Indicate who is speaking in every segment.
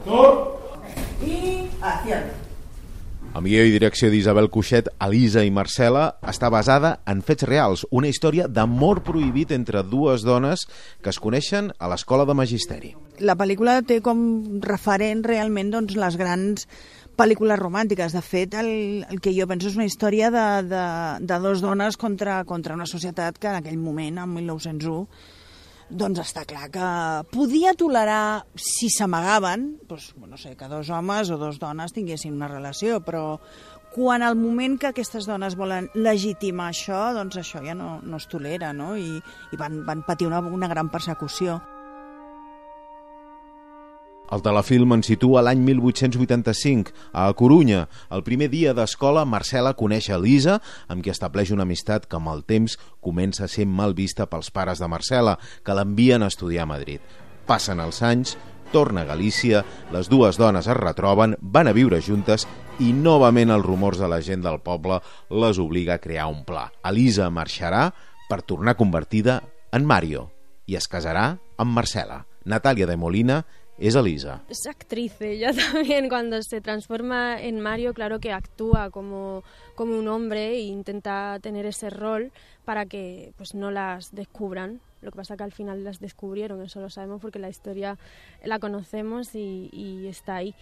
Speaker 1: Y acción.
Speaker 2: El guió i direcció d'Isabel Cuixet, Elisa i Marcela, està basada en fets reals, una història d'amor prohibit entre dues dones que es coneixen a l'escola de magisteri.
Speaker 1: La pel·lícula té com referent realment doncs, les grans pel·lícules romàntiques. De fet, el que jo penso és una història de dos dones contra una societat que en aquell moment, en 1901, doncs està clar que podia tolerar, si s'amagaven, doncs, no sé, que dos homes o dos dones tinguessin una relació, però quan al moment que aquestes dones volen legitimar això, doncs això ja no es tolera, no? I van patir una gran persecució.
Speaker 2: El telefilm ens situa l'any 1885. A Corunya, el primer dia d'escola, Marcela coneix Elisa, amb qui estableix una amistat que amb el temps comença a ser mal vista pels pares de Marcela, que l'envien a estudiar a Madrid. Passen els anys, torna a Galícia, les dues dones es retroben, van a viure juntes i novament els rumors de la gent del poble les obliga a crear un pla. Elisa marxarà per tornar convertida en Mario i es casarà amb Marcela. Natalia de Molina es Elisa.
Speaker 3: Es actriz ella también. Cuando se transforma en Mario, claro que actúa como un hombre e intenta tener ese rol para que pues no las descubran. Lo que pasa que al final las descubrieron, eso lo sabemos porque la historia la conocemos y está ahí.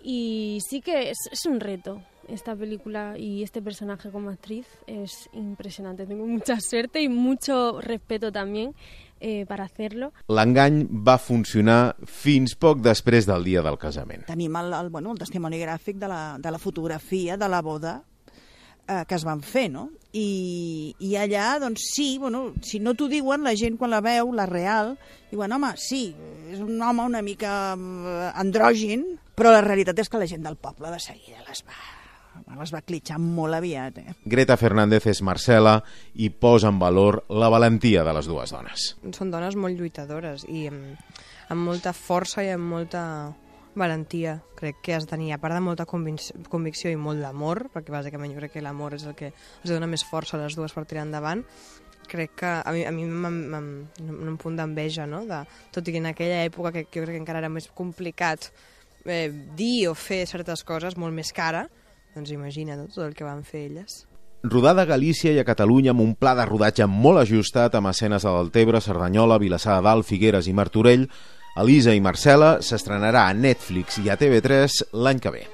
Speaker 3: Y sí que es un reto esta película y este personaje como actriz es impresionante. Tengo mucha suerte y mucho respeto también para hacerlo.
Speaker 2: L'engany va funcionar fins poc després del dia del casament.
Speaker 1: Tenim el testimoni gràfic de la fotografia de la boda que es van fer, no? I allà, doncs sí, si no t'ho diuen, la gent quan la veu, la real, diuen, home, sí, és un home una mica andrògin, però la realitat és que la gent del poble de seguida les va clitxar molt aviat.
Speaker 2: Greta Fernández és Marcela i posa en valor la valentia de les dues dones.
Speaker 4: Són dones molt lluitadores i amb molta força i amb molta valentia, crec que has de tenir, a part de molta convicció i molt d'amor, perquè bàsicament jo crec que l'amor és el que els dona més força a les dues per tirar endavant. Crec que a mi un punt d'enveja, no? Tot i que en aquella època que jo crec que encara era més complicat dir o fer certes coses, molt més cara, doncs imagina't tot el que van fer elles.
Speaker 2: Rodada a Galícia i a Catalunya amb un pla de rodatge molt ajustat amb escenes a Deltebre, Cerdanyola, Vilassar de Dalt, Figueres i Martorell, Elisa i Marcela s'estrenarà a Netflix i a TV3 l'any que ve.